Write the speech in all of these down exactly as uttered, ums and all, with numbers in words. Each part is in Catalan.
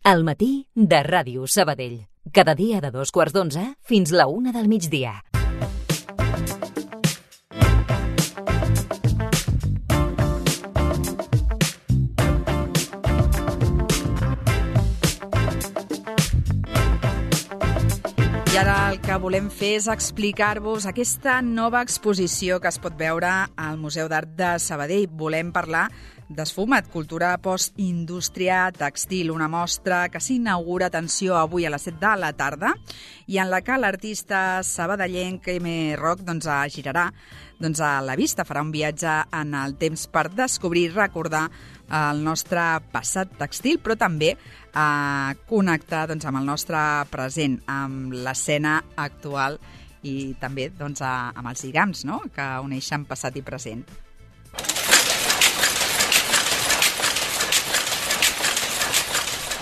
Al matí de Ràdio Sabadell. Cada dia de dos quarts d'onze fins la una del migdia. I ara el que volem fer és explicar-vos aquesta nova exposició que es pot veure al Museu d'Art de Sabadell. Volem parlar d'Esfumat, cultura postindústria tèxtil, una mostra que s'inaugura, atenció, avui a les set de la tarda, i en la que l'artista sabadellenc M. Roc doncs, girarà doncs, a la vista, farà un viatge en el temps per descobrir i recordar el nostre passat tèxtil, però també a connectar doncs, amb el nostre present, amb l'escena actual i també doncs, a, amb els lligams, no?, que uneixen passat i present.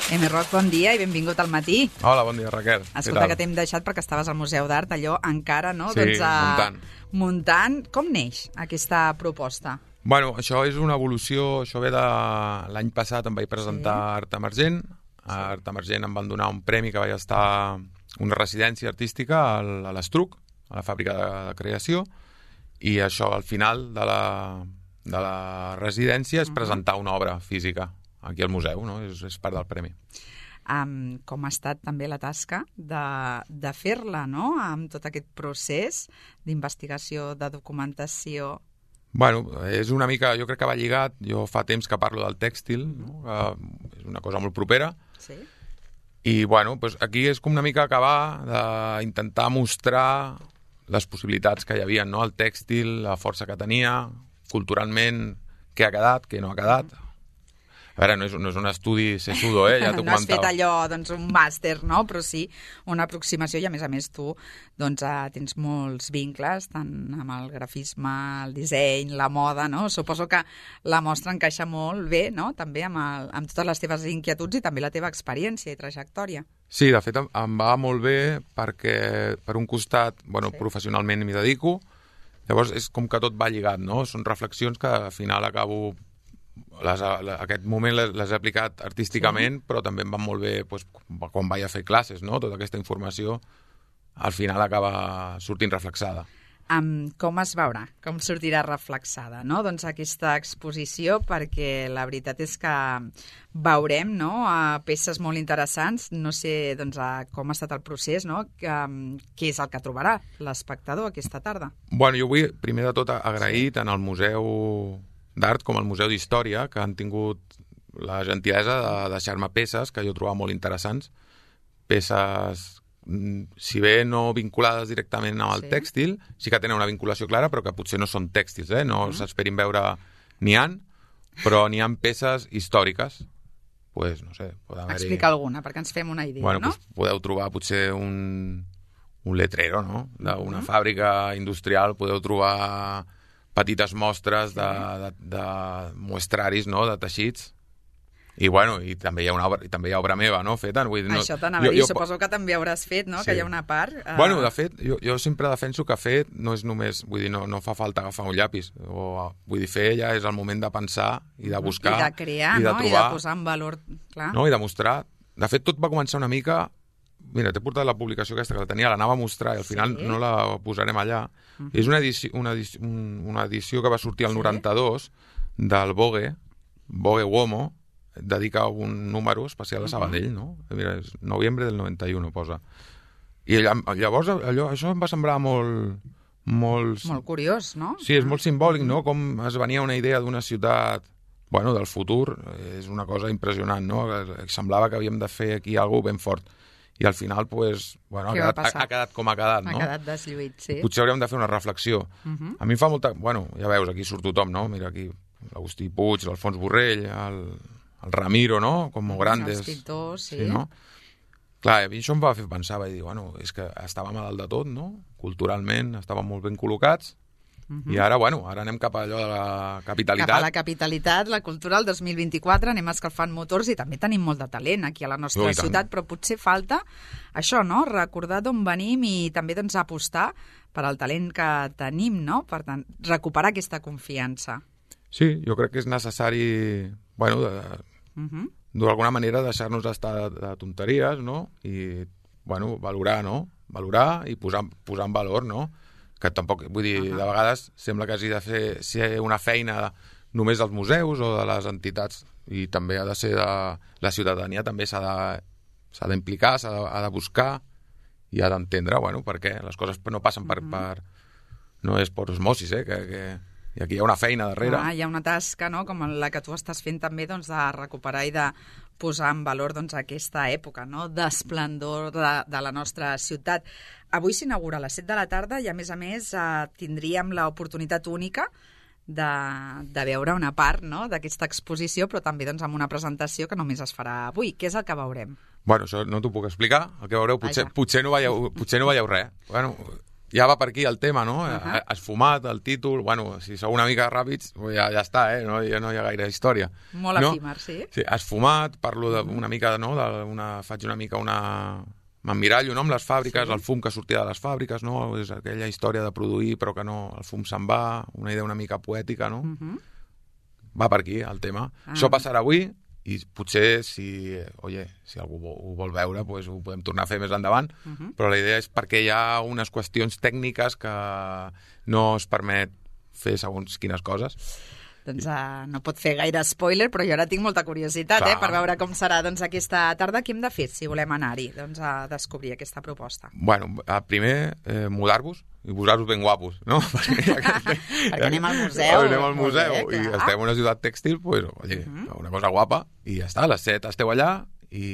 M. Roc, bon dia i benvingut al matí. Hola, bon dia, Raquel. Escolta, que t'hem deixat perquè estaves al Museu d'Art, allò encara, no? Sí, doncs, a... muntant. Muntant. Com neix aquesta proposta? Bueno, això és una evolució, això ve de l'any passat, em vaig presentar sí. Art Emergent. A Art Emergent em van donar un premi que vaig estar una residència artística a l'Estruc, a la fàbrica de, de creació, i això al final de la, de la residència és presentar una obra física aquí al museu, no? És, és part del premi. Um, com ha estat també la tasca de, de fer-la, no?, amb tot aquest procés d'investigació, de documentació. Bueno, és una mica, jo crec que va lligat, jo fa temps que parlo del tèxtil, no? Que és una cosa molt propera, sí. I bueno, doncs aquí és com una mica acabar d'intentar mostrar les possibilitats que hi havia, no? El tèxtil, la força que tenia, culturalment, què ha quedat, què no ha quedat. A veure, no és, no és un estudi sesudo, eh? Ja t'ho no has comentava. fet allò, doncs, un màster, no? Però sí una aproximació i, a més a més, tu doncs, eh, tens molts vincles, tant amb el grafisme, el disseny, la moda, no? Suposo que la mostra encaixa molt bé, no?, també amb, el, amb totes les teves inquietuds i també la teva experiència i trajectòria. Sí, de fet, em, em va molt bé perquè, per un costat, bueno, sí. Professionalment m'hi dedico, llavors és com que tot va lligat, no? Són reflexions que al final acabo... Les, aquest moment les, les he aplicat artísticament, sí. Però també em van molt bé doncs, quan vaig a fer classes, no? Tota aquesta informació al final acaba sortint reflexada. Um, com es veurà? Com sortirà reflexada, no? Doncs aquesta exposició, perquè la veritat és que veurem, no?, a peces molt interessants. No sé doncs, a com ha estat el procés, no?, que, què és el que trobarà l'espectador aquesta tarda. Bueno, jo vull, primer de tot, agrair tant al Museu d'Art com al Museu d'Història, que han tingut la gentilesa de deixar-me peces que jo trobava molt interessants, peces, si bé no vinculades directament amb el sí. tèxtil, sí que tenen una vinculació clara, però que potser no són tèxtils, eh? No uh-huh. s'esperin veure... N'hi ha, però n'hi ha peces històriques. Pues, no sé, explica alguna, perquè ens fem una idea, bueno, no? Pues, podeu trobar potser un, un letrero, no?, d'una uh-huh. fàbrica industrial, podeu trobar... petites mostres de, de, de muestraris, no?, de teixits. I, bueno, i també hi ha una obra, i també hi ha obra meva, no?, feta. Vull dir, no, això t'anava a dir, suposo que també hauràs fet, no?, sí. Que hi ha una part... Uh... Bueno, de fet, jo, jo sempre defenso que fet no és només... Vull dir, no, no fa falta agafar un llapis. O, vull dir, fer ja és el moment de pensar i de buscar... I de crear, i de no?, trobar, i de posar en valor, clar. No?, i de mostrar... De fet, tot va començar una mica... Mira, t'he portat la publicació aquesta que la tenia, l'anava a mostrar i al final sí. no la posarem allà. Uh-huh. És una edició, una, edició, una edició que va sortir al noranta-dos del Vogue, Vogue Uomo, dedica un número especial a Sabadell, no? Mira, és novembre del noranta-u, posa. I llavors allò, això em va semblar molt... Molt, molt curiós, no? Sí, és molt simbòlic, no? Com es venia una idea d'una ciutat... Bueno, del futur, és una cosa impressionant, no? Semblava que havíem de fer aquí alguna ben fort. I al final, pues, bueno, ha quedat, ha, ha quedat com ha quedat, no? Ha quedat deslluït, sí. Potser hauríem de fer una reflexió. Uh-huh. A mi em fa molta... Bueno, ja veus, aquí surt tothom, no? Mira aquí, l'Agustí Puig, l'Alfons Borrell, el, el Ramiro, no? Com grandes... Els pintors, sí. Sí, no? Clar, a mi això em va fer pensar, vaig dir, bueno, és que estàvem a dalt de tot, no? Culturalment, estàvem molt ben col·locats, uh-huh. I ara, bueno, ara anem cap a allò de la capitalitat. Cap a la capitalitat, la cultura, el dos mil vint-i-quatre, anem escalfant motors i també tenim molt de talent aquí a la nostra no, ciutat, però potser falta això, no?, recordar d'on venim i també doncs, apostar per al talent que tenim, no?, per tant, recuperar aquesta confiança. Sí, jo crec que és necessari, bueno, de, uh-huh. d'alguna manera deixar-nos d'estar de tonteries, no? I, bueno, valorar, no? Valorar i posar, posar en valor, no? Que tampoc, vull dir, uh-huh. de vegades sembla que hagi de fer ser una feina només dels museus o de les entitats, i també ha de ser de... La ciutadania també s'ha de, s'ha d'implicar, s'ha de, ha de buscar i ha d'entendre, bueno, per què les coses no passen per... Uh-huh. per no és per osmosis, eh? Que, que... I aquí hi ha una feina darrere. Ah, hi ha una tasca, no?, com la que tu estàs fent també, doncs, de recuperar i de posar en valor, doncs, aquesta època, no?, d'esplendor de, de la nostra ciutat. Avui s'inaugura a les set de la tarda i, a més a més, eh, tindríem l'oportunitat única de, de veure una part, no?, d'aquesta exposició, però també, doncs, amb una presentació que només es farà avui. Què és el que veurem? Bueno, això no t'ho puc explicar, el que veureu, potser, potser, no, veieu, potser no veieu res. Bueno... Ja va per aquí el tema, no? Uh-huh. Esfumat, el títol... Bueno, si sou una mica ràpids, ja, ja està, eh? No, ja no hi ha gaire història. Molt no? efímer, sí. Sí, esfumat, parlo de, una mica, no? De una, faig una mica una... M'emmirallo, no?, amb les fàbriques, sí. El fum que sortia de les fàbriques, no? És aquella història de produir, però que no, el fum se'n va, una idea una mica poètica, no? Uh-huh. Va per aquí, el tema. Ah. Això passarà avui, i potser, si, oye, si algú ho vol veure, pues ho podem tornar a fer més endavant, uh-huh. Però la idea és perquè hi ha unes qüestions tècniques que no es permet fer segons quines coses. Doncs uh, no pot fer gaire spoiler, però jo ara tinc molta curiositat, eh, per veure com serà, doncs, aquesta tarda. Què hem de fer si volem anar-hi, doncs, a descobrir aquesta proposta? Bueno, primer, eh, mudar-vos i posar-vos ben guapos, no? Perquè, perquè anem al museu. Anem al museu bé, i estem en una ciutat tèxtil, pues, oye, uh-huh. Una cosa guapa, i ja està, a les set esteu allà i...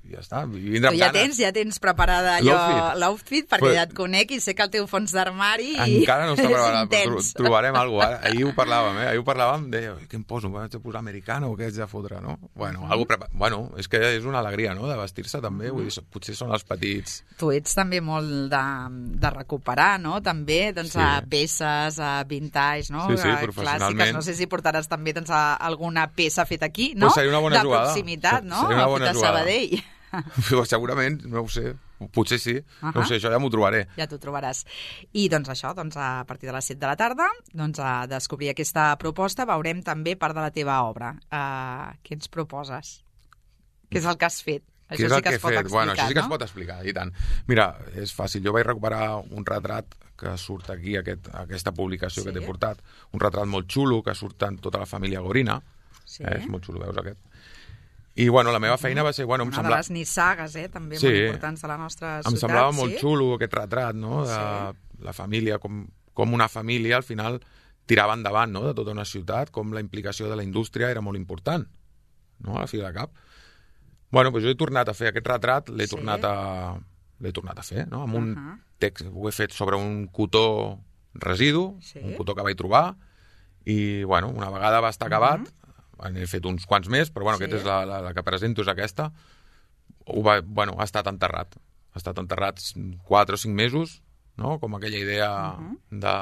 I ja està, vindrà amb ja ganes. tens, ja tens preparada allò, l'outfit, perquè pues, ja et conec i sé que el teu fons d'armari encara no està preparat, però trobarem alguna cosa. Ahir ho parlàvem, eh? Ahir ho parlàvem, deia, què em poso? M'haig de posar americano o què haig de fotre, no? Bueno, uh-huh. algo prepa... bueno, és que és una alegria, no?, de vestir-se també, uh-huh. Vull dir, potser són els petits... Tu ets també molt de, de recuperar, no?, també, doncs, sí. A peces, a vintage, no?, sí, sí, professionalment. Clàssiques. No sé si portaràs també, doncs, a alguna peça feta aquí, no?, pues seria una bona de jugada. Proximitat, no?, seria una bona feta a Sabadell. Segurament, no ho sé, potser sí, uh-huh. No ho sé, això ja m'ho trobaré. Ja t'ho trobaràs. I doncs això, doncs, a partir de les set de la tarda, doncs, a descobrir aquesta proposta, veurem també part de la teva obra. Uh, què ens proposes? Què és el que has fet? Això Què és sí el que que es pot fet? explicar, Bueno, això sí que no? es pot explicar, i tant. Mira, és fàcil, jo vaig recuperar un retrat que surt aquí, aquest, aquesta publicació sí. Que t'he portat, un retrat molt xulo que surt en tota la família Gorina, sí. eh, és molt xulo, veus aquest? I, bueno, la meva feina va ser... Bueno, em Una sembla... de les nissagues, eh, també sí, molt importants de la nostra ciutat. Em semblava sí? molt xulo aquest retrat, no?, de sí. La família, com, com una família al final tirava endavant, no?, de tota una ciutat, com la implicació de la indústria era molt important, no?, a la fi de cap. Bueno, doncs jo he tornat a fer aquest retrat, l'he sí. tornat a l'he tornat a fer, no?, amb un uh-huh. text, ho he fet sobre un cotó residu, sí. Un cotó que vaig trobar, i, bueno, una vegada va estar acabat, uh-huh. N'he fet uns quants més, però bueno, sí. Aquesta és la, la, la que presento, és aquesta. Ho va, bueno, ha estat enterrat. Ha estat enterrat quatre o cinc mesos, no?, com aquella idea uh-huh. de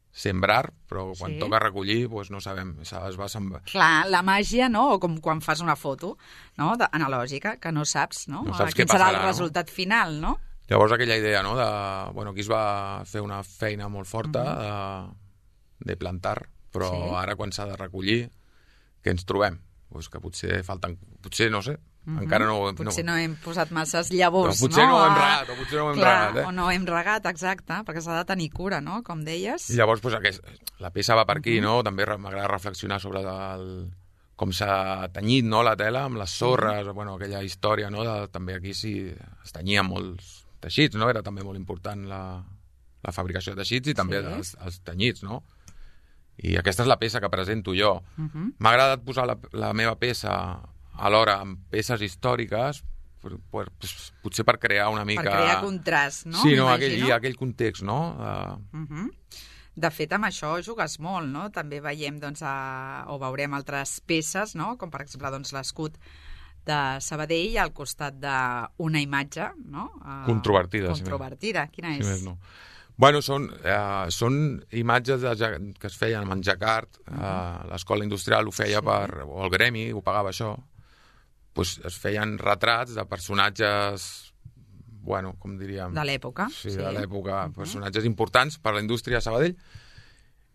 sembrar, però quan sí. Toca recollir, doncs no sabem, es va sembrar. Clar, la màgia, no?, o com quan fas una foto, no?, de, analògica, que no saps, no?, no saps quin passarà, serà el resultat no? final, no? Llavors aquella idea, no?, de... Bueno, aquí es va fer una feina molt forta uh-huh. de, de plantar, però sí. Ara quan s'ha de recollir, que ens trobem? Pues que potser falten... Potser, no sé, uh-huh. encara no... Potser no... no hem posat masses llavors, no? Potser no, no ho hem regat, o potser no ho hem Clar, regat, eh? o no hem regat, exacte, perquè s'ha de tenir cura, no?, com deies. I llavors, pues, aquest, la peça va per aquí, uh-huh. no? També m'agrada reflexionar sobre el, com s'ha tenyit, no?, la tela amb les sorres, uh-huh. bueno, aquella història, no?, de, també aquí sí es tenyien molts teixits, no? Era també molt important la, la fabricació de teixits i també sí. els, els tenyits, no? I aquesta és la peça que presento jo. Uh-huh. M'ha agradat posar la, la meva peça alhora amb peces històriques, per, per, potser per crear una mica... Per crear contrast, no? Sí, no, aquell, i aquell context, no? Uh... Uh-huh. De fet, amb això jugues molt, no? També veiem, doncs, a... o veurem altres peces, no?, com per exemple, doncs, l'escut de Sabadell al costat d'una imatge, no? Uh... Controvertida. Controvertida, si quina si és? Més no. Bueno, són, eh, són imatges de, que es feien amb en Jacquard, uh-huh. eh, l'escola industrial ho feia sí. per, o el gremi ho pagava això, pues es feien retrats de personatges, bueno, com diríem... De l'època. Sí, sí, de l'època, uh-huh. personatges importants per la indústria de Sabadell,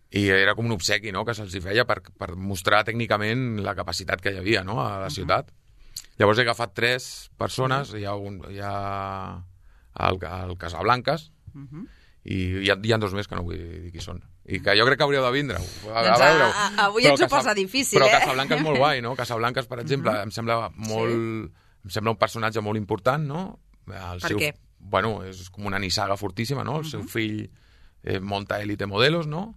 I era com un obsequi, no?, que se'ls hi feia per, per mostrar tècnicament la capacitat que hi havia, no?, a la ciutat. Uh-huh. Llavors he agafat tres persones, uh-huh. hi ha, un, hi ha el, el Casablancas, uh-huh. i hi ha, hi ha dos més que no vull dir qui són. I que jo crec que hauríeu de vindre. A, doncs a, a, a, avui però ens ho posa difícil, però eh? Però Casablanca és molt guai, no? Casablanca, per exemple, uh-huh. em sembla molt... Sí. Em sembla un personatge molt important, no? El per seu, què? Bueno, és com una nissaga fortíssima, no? El uh-huh. seu fill eh, monta Elite Modelos, no?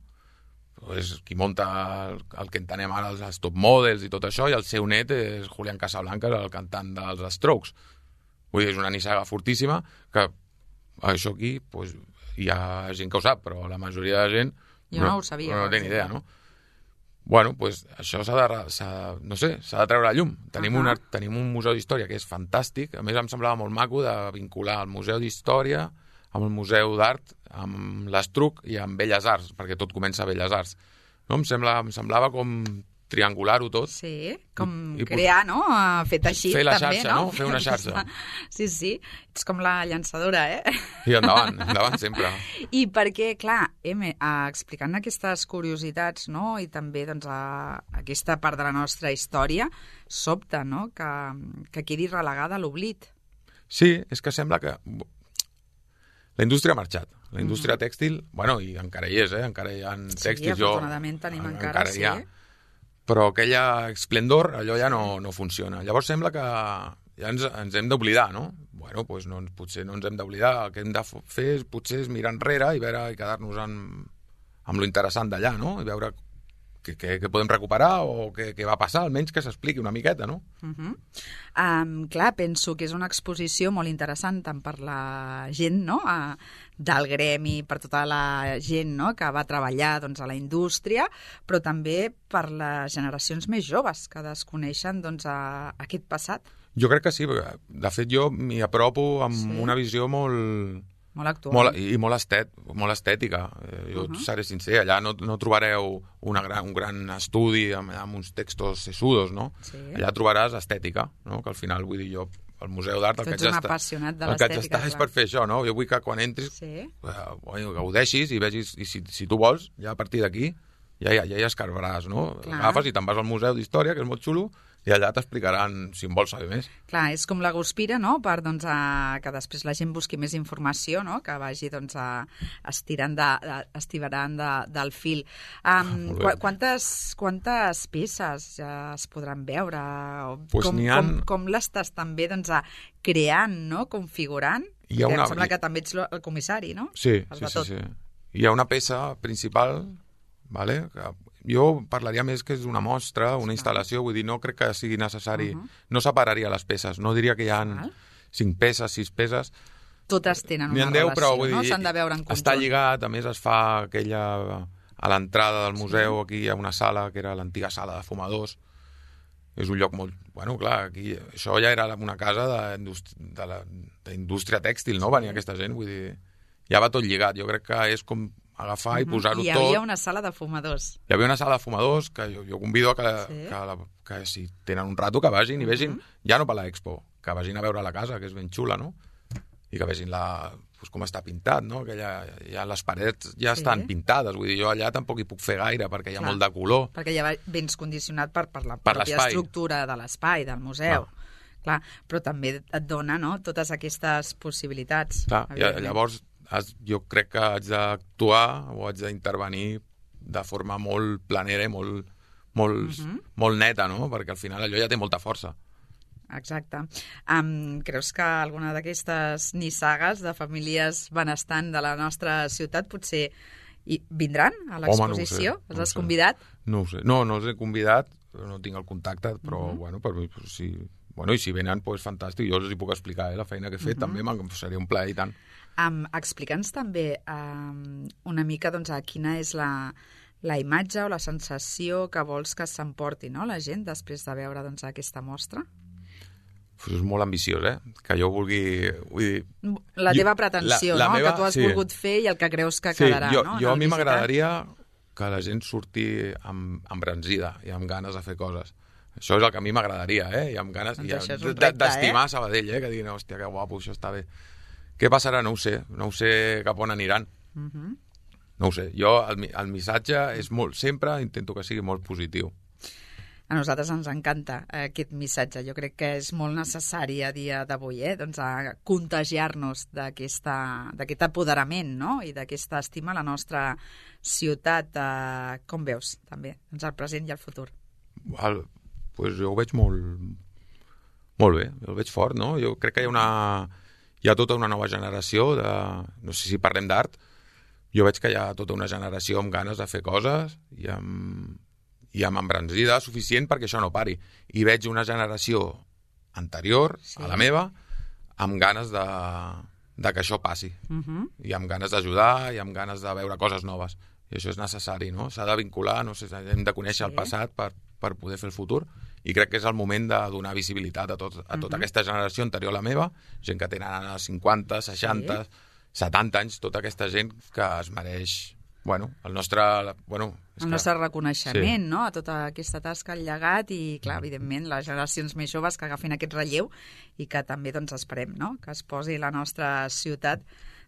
És qui monta el, el que entenem ara els, els top models i tot això, i el seu net és Julián Casablancas, el cantant dels Strokes. Vull dir, és una nissaga fortíssima que això aquí, pues, hi ha gent que ho sap, però la majoria de gent jo no, no ho sabia, no, no té ni idea, no? Bueno, pues això s'ha de, s'ha, no sé, s'ha de treure a llum. Tenim, uh-huh. una, tenim un museu d'història que és fantàstic. A més, em semblava molt maco de vincular el museu d'història amb el museu d'art, amb l'Estruc i amb Belles Arts, perquè tot comença a Belles Arts. No? Em, sembla, em semblava com triangular-ho tot. Sí, com I, crear, no? Fet així, fer la també, xarxa, no? no? Fer una xarxa. Sí, sí, ets com la llançadora, eh? I endavant, endavant sempre. I perquè, clar, M, explicant aquestes curiositats, no?, i també, doncs, a, a aquesta part de la nostra història, sobta, no?, que, que quedi relegada a l'oblit. Sí, és que sembla que... La indústria ha marxat. La indústria mm. tèxtil, bueno, i encara hi és, eh? Encara hi ha tèxtils. Sí, afortunadament jo, tenim encara, encara sí. Ha, però aquella esplendor, allò ja no, no funciona. Llavors sembla que ja ens, ens hem d'oblidar, no? Bueno, doncs no, potser no ens hem d'oblidar. El que hem de fer és, potser és mirar enrere i veure i quedar-nos amb, amb lo interessant d'allà, no? I veure què, què, què podem recuperar o què, què va passar, almenys que s'expliqui una miqueta, no? Uh-huh. Um, clar, penso que és una exposició molt interessant tant per la gent, no?, a, del gremi, per tota la gent, no?, que va treballar, doncs, a la indústria, però també per les generacions més joves que desconeixen, doncs, a, a aquest passat. Jo crec que sí, perquè, de fet, jo m'hi apropo amb sí. una visió molt... Molt actual. Molt, I molt, estet, molt estètica. Jo uh-huh. seré sincer, allà no, no trobareu una gran, un gran estudi amb, amb uns textos sesudos, no? Sí. Allà trobaràs estètica, no? Que al final, vull dir, jo, al Museu d'Art, el que haig d'estar, el que haig d'estar és per fer això, no? Jo vull que quan entris, sí. eh, gaudeixis i vegis, i si, si tu vols, ja a partir d'aquí, ja, ja, ja hi escarbaràs, no? Clar. Agafes i te'n vas al Museu d'Història, que és molt xulo, i allà t'explicaran si en vols saber més. Clar, és com la Guspira, no?, per doncs, a, que després la gent busqui més informació, no?, que vagi doncs, a, estirant, de, de, estirant de, del fil. Um, qu quantes, quantes peces ja es podran veure? Pues com, han... com, com l'estàs també doncs, a, creant, no?, configurant? Hi ha una... Em sembla que també ets el comissari, no? Sí, sí, sí, sí. Hi ha una peça principal, vale? Que jo parlaria més que és una mostra, una instal·lació, vull dir, no crec que sigui necessari, uh-huh. no separaria les peces, no diria que hi ha cinc peces, sis peces. Totes tenen una deu, relació, però, vull dir, no? S'han de veure en conjunt. Està lligat, a més es fa aquella... A l'entrada del museu, sí. Aquí hi ha una sala, que era l'antiga sala de fumadors. És un lloc molt... Bueno, clar, aquí, això ja era una casa d'indústria tèxtil, no? Sí. Venia aquesta gent, vull dir... Ja va tot lligat, jo crec que és com... agafar i posar-ho tot. Hi havia tot. Una sala de fumadors. Hi havia una sala de fumadors que jo, jo convido a que, sí. que, la, que si tenen un rato que vagin i vegin, uh-huh. ja no per l'Expo, que vagin a veure la casa, que és ben xula, no? I que vegin la, pues, com està pintat, no? Que ja, ja les parets ja sí. estan pintades, vull dir, jo allà tampoc hi puc fer gaire perquè hi ha Clar. molt de color. Perquè ja vens condicionat per, per la per pròpia estructura de l'espai, del museu. Clar. Clar, però també et dona, no?, totes aquestes possibilitats. Clar, i llavors jo crec que haig d'actuar o haig d'intervenir de forma molt planera i molt, molt, uh-huh. molt neta, no? Perquè al final allò ja té molta força. Exacte. Um, creus que alguna d'aquestes nissagues de famílies benestant de la nostra ciutat potser hi vindran a l'exposició? Home, no ho sé, no els has convidat? No ho sé. No, no els he convidat, no tinc el contacte, però uh-huh. bueno, per mi, si, bueno, i si venen, doncs fantàstic. Jo els hi puc explicar eh, la feina que he fet, uh-huh. també seria un plaer i tant. Um, Explica'ns també um, una mica doncs, a quina és la, la imatge o la sensació que vols que s'emporti, no?, la gent després de veure doncs, aquesta mostra. Pues és molt ambiciós, eh? Que jo vulgui... Vull dir, la teva pretensió, la, la no?, meva, que tu has sí. volgut fer i el que creus que sí, quedarà, jo, no? Jo a mi m'agradaria que la gent surti amb, embranzida i amb ganes de fer coses. Això és el que a mi m'agradaria, eh? I amb ganes doncs d'estimar eh? Sabadell, eh? Que diguin, hòstia, que guapo, això està bé. Què passarà? No ho sé. No ho sé cap on aniran. Uh-huh. no ho sé, jo el, el missatge és molt, sempre intento que sigui molt positiu. A nosaltres ens encanta aquest missatge. Jo crec que és molt necessari a dia d'avui, eh? Doncs a contagiar-nos d'aquest apoderament, no? I d'aquesta estima a la nostra ciutat. Eh, com veus, també, doncs el present i el futur? El, pues jo ho veig molt, molt bé, el veig fort, no? Jo crec que hi ha, una, hi ha tota una nova generació de... No sé si parlem d'art, jo veig que hi ha tota una generació amb ganes de fer coses i amb... i amb embranzida suficient perquè això no pari. I veig una generació anterior, sí, a la meva, amb ganes de, de que això passi. Uh-huh. I amb ganes d'ajudar, i amb ganes de veure coses noves. I això és necessari, no? S'ha de vincular, no sé, hem de conèixer sí. el passat per, per poder fer el futur. I crec que és el moment de donar visibilitat a, tot, a tota uh-huh. aquesta generació anterior a la meva, gent que tenen cinquanta, seixanta, sí. setanta anys, tota aquesta gent que es mereix... Bueno, el nostre... Bueno, el que... nostre reconeixement, sí. no?, a tota aquesta tasca, el llegat i, clar, evidentment, les generacions més joves que agafin aquest relleu i que també, doncs, esperem, no?, que es posi la nostra ciutat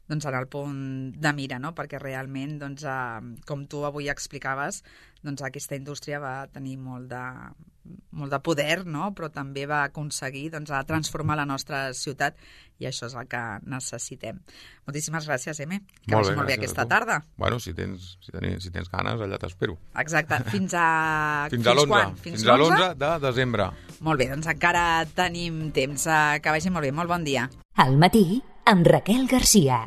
doncs, en el punt de mira, no?, perquè realment, doncs, eh, com tu avui explicaves, doncs, aquesta indústria va tenir molt de, molt de poder, no?, però també va aconseguir doncs, a transformar la nostra ciutat i això és el que necessitem. Moltíssimes gràcies, Eme. Que molt vagi bé, molt bé aquesta tarda. Bueno, si tens, si, tens, si tens ganes, allà t'espero. Exacte. Fins a... Fins, fins a l'onze. Fins, fins a l'onze de desembre. Molt bé, doncs encara tenim temps. Que vagi molt bé. Molt bon dia. Al matí, amb Raquel Garcia.